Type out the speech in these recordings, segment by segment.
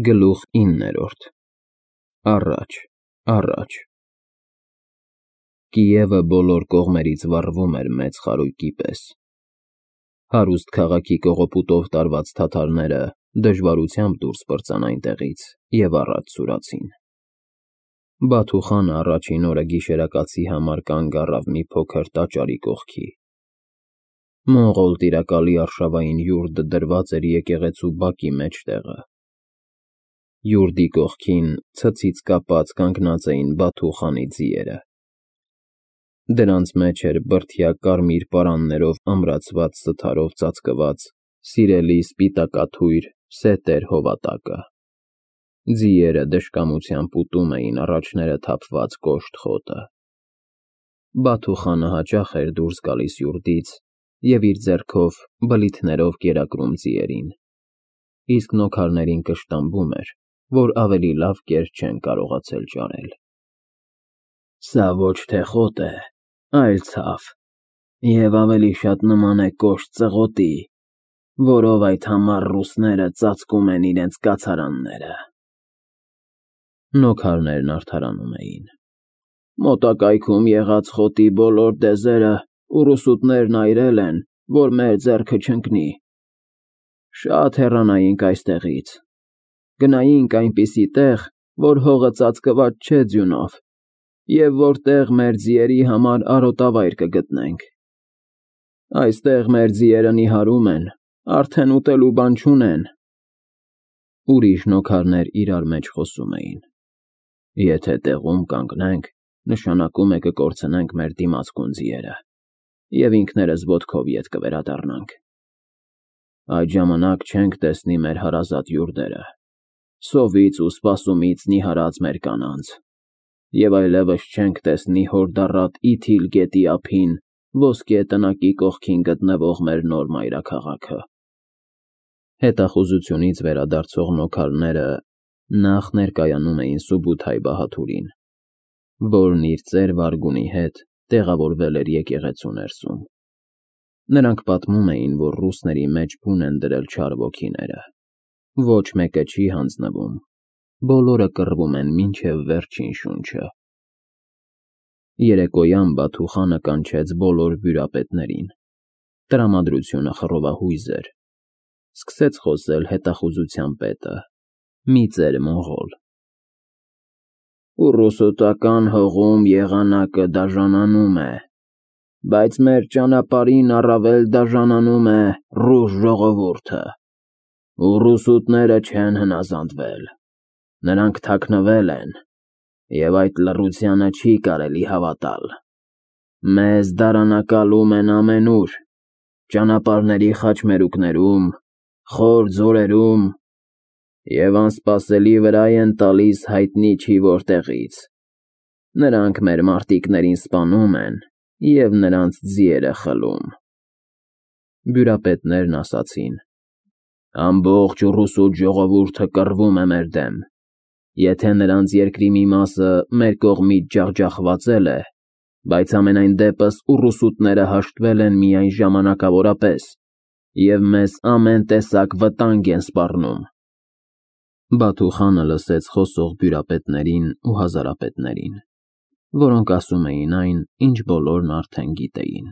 Գլուխ 9 Առաջ, առաջ Կիևը բոլոր կողմերից վառվում էր մեծ խարույկի պես։ Հարուստ քաղաքի կողոպուտով տարված թաթարները դժվարությամբ դուրս պրծան այնտեղից և առաջ սուրացին։ Բաթու խանը առաջին օրը գիշերակացի համար կանգ առավ մի փոքր տաճարի կողքի։ Մոնղոլ տիրակալի արշավային յուրդը դրված էր եկեղեցու բակի մեջտեղը։ Յուրդի կողքին ցցից կապած կանգնած էին Բաթու խանի ձիերը։ Դրանց մեջ էր բրդյա կարմիր պարաններով ամրացված սթարով ծածկված սիրելի սպիտակաթույր սետեր հովատակը։ Ձիերը դժկամությամբ ուտում էին առաջները թափված կոշտ խոտը։ Բաթու խանը հաճախ էր դուրս գալիս յուրդից և իր ձեռքով բլիթներով կերակրում ձիերին, իսկ նոքարներին կշտամբում էր, որ ավելի լավ կեր չեն կարողացել ճարել։ Սա ոչ թե խոտ է, այլ ցավ, և ավելի շատ նման է կոշտ ծղոտի, որով այդ համառ ռուսները ծածկում են իրենց կացարանները։ Նոքարներն արդարանում էին։ Մոտակայքում եղած խոտի բոլոր դեզերը ուռուսուտներն այրել են, որ մեր ձեռքը չընկնի։ Շատ հեռանայինք այստեղից, գնայինք այնպիսի տեղ, որ հողը ծածկված չէ ձյունով, և որտեղ մեր ձիերի համար արոտավայր կգտնենք։ Այստեղ մեր ձիերը նիհարում են, արդեն ուտելու բան չունեն։ Ուրիշ նոքարներ իրար մեջ խոսում էին. Եթե տեղում կանգնենք, նշանակում է կկորցնենք մեր դիմացկուն ձիերը, և ինքներս ոտքով ետ կվերադառնանք։ Այդ ժամանակ չենք տեսնի մեր հարազատ յուրդերը, սովից ու սպասումից նիհարած մեր կանանց, և այլևս չենք տեսնի հորդառատ Իթիլ գետի ափին ոսկե տնակի կողքին գտնվող մեր նոր մայրաքաղաքը։ Հետախուզությունից վերադարձող նոքարները նախ ներկայանում էին Սուբութայ Բահաթուրին, որն իր ծեր վարգունի հետ տեղավորվել էր եկեղեցու ներսում։ Նրանք պատմում էին, որ ռուսների մեջ բուն են դրել չար ոգիները։ Ոչ մեկը չի հանձնվում, բոլորը կռվում են մինչև վերջին շունչը։ Երեկոյան Բաթու խանը կանչեց բոլոր բյուրապետներին։ Տրամադրությունը խռովահույզ էր։ Սկսեց խոսել հետախուզության պետը, մի ծեր մոնղոլ։ Ուռուսուտական հողում եղանակը դաժանանում է, բայց մեր ճանապարհին առավել դաժանանում է ռուս ժողովուրդը։ Ուռուսուտները չեն հնազանդվել, նրանք թաքնվել են, և այդ լռությանը չի կարելի հավատալ։ Մեզ դարանակալում են ամենուր, ճանապարհների խաչմերուկներում, խոր ձորերում, և անսպասելի վրայ են տալիս հայտնի չի որտեղից։ Նրանք մեր մարտիկներին սպանում են և նրանց ձիերը խլում։ Բյուրապետներն ասացին. Ամբողջ ուռուսուտ ժողովուրդը կռվում է մեր դեմ։ Եթե նրանց երկրի մի մասը մեր կողմից ջախջախվածել է, բայց համենայն դեպս ուռուսուտները հաշտվել են միայն ժամանակավորապես և մեզ ամեն տեսակ վտանգ են սպառնում։ Բաթու խանը լսեց խոսող բյուրապետներին ու հազարապետներին, որոնք ասում էին այն, ինչ բոլորն արդեն գիտեին։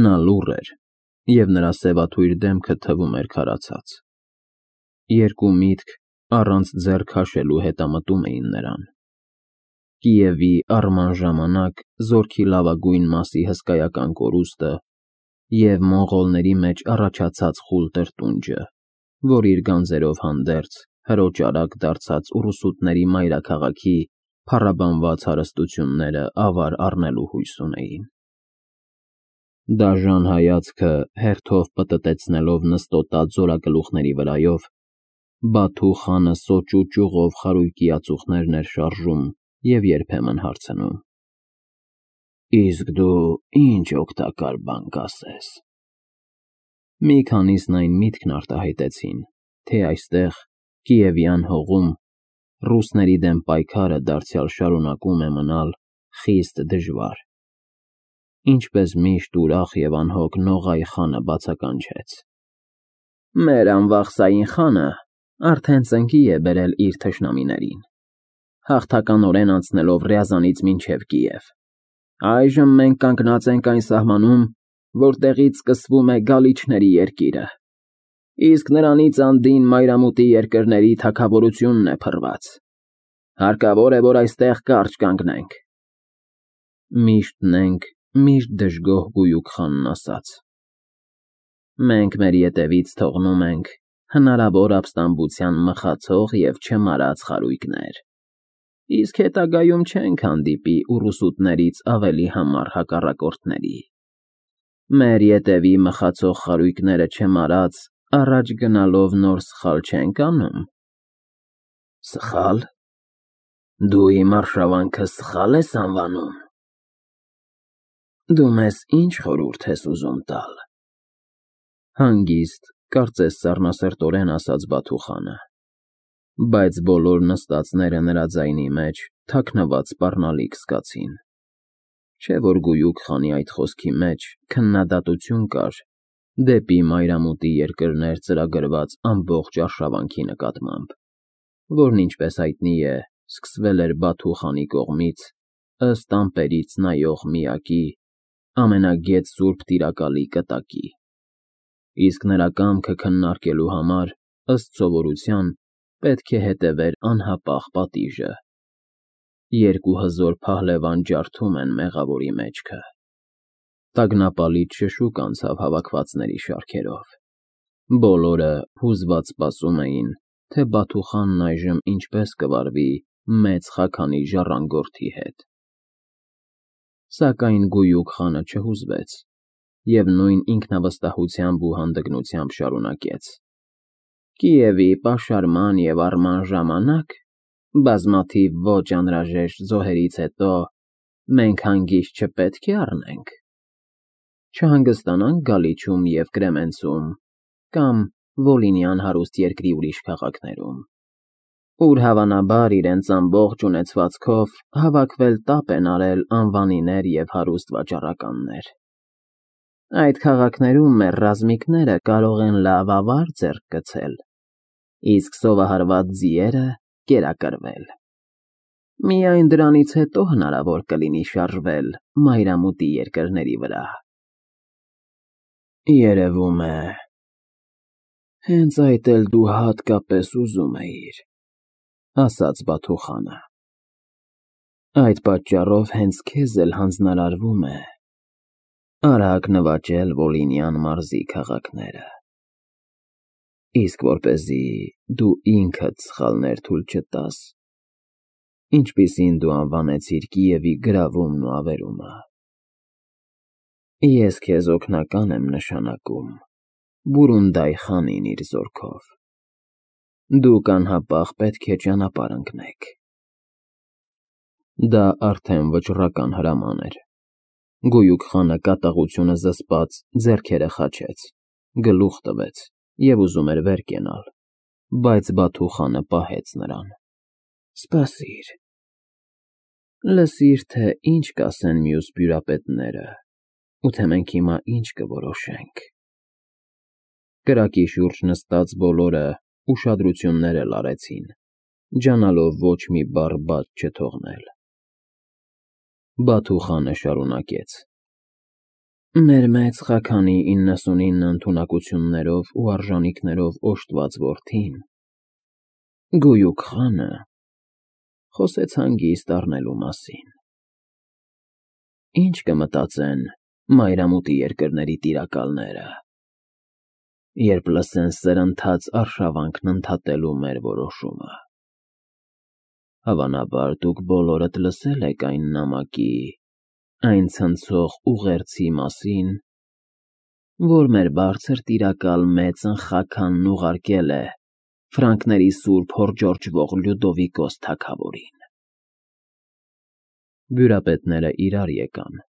Նա լուռ էր, և նրա սևաթույր դեմքը թվում էր քարացած։ Երկու միտք առանց ձեռ քաշելու հետամտում էին նրան. Կիևի առման ժամանակ զորքի լավագույն մասի հսկայական կորուստը և մոնղոլների մեջ առաջացած խուլ տրտունջը, որ իր գանձերով հանդերձ հրոճարակ դարձած ուռուսուտների մայրաքաղաքի փառաբանված հարստությունները ավար առնելու հույս ունեին։ Դաժան հայացքը հերթով պտտեցնելով նստոտած զորագլուխների վրայով, Բաթու խանը սոճու ճյուղով խարույկի ածուխներն էր շարժում և երբեմն հարցնում. Իսկ դու ինչ օգտակար բան կասես։ Մի քանիսն այն միտքն արտահայտեցին, թե այստեղ, Կիևյան հողում, ռուսների դեմ պայքարը դարձյալ շարունակում է մնալ խիստ դժվար։ Ինչպես միշտ ուրախ և անհոգ Նողայ խանը բացականչեց. Մեր անվախսային խանը Արդեն ծնկի է բերել իր թշնամիներին, հաղթականորեն անցնելով Ռյազանից մինչև Կիև։ Այժմ մենք կանգնած ենք այն սահմանում, որտեղից սկսվում է Գալիչների երկիրը, իսկ նրանից անդին մայրամուտի երկրների թագավորությունն է փռված։ Հարկավոր է, որ այստեղ կարճ կանգնենք։ Միշտն ենք, միշտ դժգոհ Գույուք խանն ասաց. մենք մեր ետևից թողնում ենք հնարավոր ապստամբության մխացող և չմարած խարույկներ, իսկ հետագայում չենք հանդիպի ուռուսուտներից ավելի համառ հակառակորդների։ Մեր ետևի մխացող խարույկները չմարած, առաջ գնալով նոր սխալ չենք անում։ Սխալ։ Դու իմ արշավանքը սխալ ես անվանում։ Դու մեզ ինչ խորհուրդ ես ուզում տալ։ Հանգիստ, կարծես սառնասրտորեն ասաց Բաթուխանը, բայց բոլոր նստածները նրա ձայնի մեջ թաքնված սպառնալիք զգացին, չէ՞ որ Գույուք խանի այդ խոսքի մեջ քննադատություն կար դեպի մայրամուտի երկրներ ծրագրված ամբողջ արշավանքի նկատմամբ, որն, ինչպես հայտնի է, սկսվել էր Բաթու խանի կողմից ըստ ամպերից նայող միակի, ամենագետ սուրբ տիրակալի կտակի, իսկ նրա կամքը քննարկելու համար, ըստ սովորության, պետք է հետևեր անհապաղ պատիժը։ Երկու հզոր փահլևան ջարդում են մեղավորի մեջքը։ Տագնապալից շշուկ անցավ հավաքվածների շարքերով։ Բոլորը հուզված սպասում էին, թե Բաթուխանն այժմ ինչպես կվարվի մեծ խաքանի ժառանգորդի հետ։ Սակայն Գույուք խանը չհուզվեց և նույն ինքնավստահությամբ ու հանդգնությամբ շարունակեց. Կիևի պաշարման և առման ժամանակ, բազմաթիվ ոչ անհրաժեշտ զոհերից հետո, մենք հանգիստ չպետք է առնենք, չհանգստանանք Գալիչում և Կրեմենցում կամ Վոլինյան հարուստ երկրի ուրիշ քաղաքներում, ուր հավանաբար իրենց ամբողջ ունեցվածքով հավաքվել տապ են արել անվանիներ և հարուստ վաճառականներ։ Այդ քաղաքներում մեր ռազմիկները կարող են լավ ավար ձեռք գցել, իսկ սովահարված ձիերը կերակրվել։ Միայն դրանից հետո հնարավոր կլինի շարժվել մայրամուտի երկրների վրա։ Երևում է, հենց այդ էլ դու հատկապես ուզում էիր, ասաց Բաթուխանը։ Այդ պատճառով հենց քեզ էլ հանձնարարվում է արագ նվաճել Վոլինյան մարզի քաղաքները, իսկ որպեսզի դու ինքդ սխալներ թույլ չտաս, ինչպիսին դու անվանեցիր Կիևի գրավումն ու ավերումը, ես քեզ օգնական եմ նշանակում Բուրունդայ խանին իր զորքով։ Դուք անհապաղ պետք է ճանապարհ ընկնեք։ Դա արդեն վճռական հրաման էր։ Գույուք խանը կատաղությունը զսպած ձեռքերը խաչեց, գլուխ տվեց և ուզում էր վեր կենալ, բայց Բաթուխանը պահեց նրան։ Սպասիր, լսիր, թե ինչ կասեն մյուս բյուրապետները, ու թե մենք հիմա ինչ կորոշենք։ Կրակի շուրջ նստած բոլորը ուշադրություններ էլ արեցին, ջանալով ոչ մի բառ բաց չթողնել։ Բաթուխանը շարունակեց. Մեր մեծ խաքանի 99 ընդունակություններով ու արժանիքներով օժտված որդին, Գույուք խանը, խոսեց հանգիստ առնելու մասին։ Ինչ կմտածեն մայրամուտի երկրների տիրակալները, երբ լսեն սրընթաց արշավանքն ընդհատելու մեր որոշումը։ Հավանաբար դուք բոլորդ լսել եք այն նամակի, այն ցնցող ուղերձի մասին, որ մեր բարձր տիրակալ մեծն Խաքանն ուղարկել է ֆրանկների սուրբ հոռջորջվող Լյուդովիկոս թագավորին։ Բյուրապետները իրար եկան,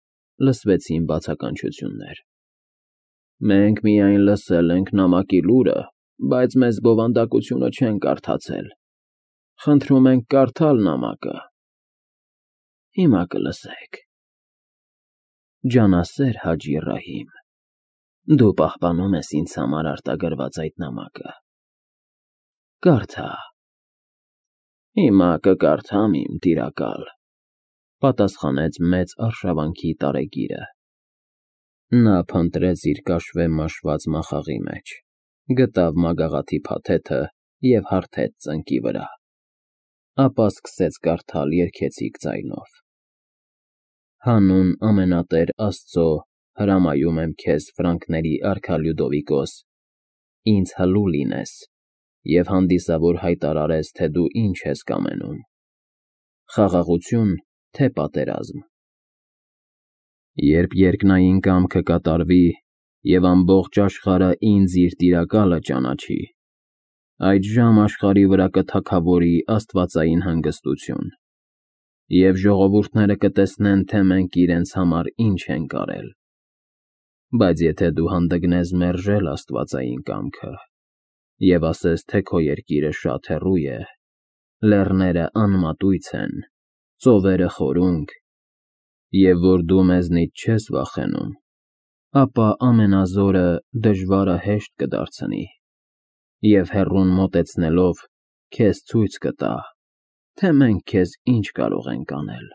լսվեցին բացականչություններ։ Մենք միայն լսել ենք նամակի լուրը, բայց մեզ բովանդակությունը չենք կարդացել։ Խնդրում ենք կարդալ նամակը։ Հիմա կլսեք։ Ջանասեր Հաջի Ռահիմ, դու պահպանում ես ինձ համար արտագրված այդ նամակը։ Կարդա։ Հիմա կկարդամ իմ տիրակալ, պատասխանեց մեծ արշավանքի տարեգիրը։ Նա փնտրեց իր կաշվե մաշված մախաղի մեջ, գտավ մագաղաթի փաթեթը և հարթեց ծնկի վրա, ապա սկսեց կարդալ երգեցիկ ձայնով. Հանուն ամենատեր Աստծո հրամայում եմ քեզ Ֆրանկների արքա Լյուդովիկոս, ինձ հլու լինես և հանդիսավոր հայտարարես, թե դու ինչ ես կամենում. խաղաղություն, թե պատերազմ։ Երբ երկնային կամքը կատարվի և ամբողջ աշխարհը ինձ իր տիրակալը ճանաչի, այդժամ աշխարհի վրա կթագավորի աստվածային հանգստություն, և ժողովուրդները կտեսնեն, թե մենք իրենց համար ինչ ենք արել։ Բայց եթե դու հանդգնես մերժել աստվածային կամքը և ասես, թե քո երկիրը շատ հեռու է, լեռները անմատույց են, ծովերը խորունկ, և որ դու մեզնից չես վախենում, ապա ամենազորը դժվարը հեշտ կդարձնի, և հեռուն մոտեցնելով, քեզ ցույց կտա, թե մենք քեզ ինչ կարող ենք անել։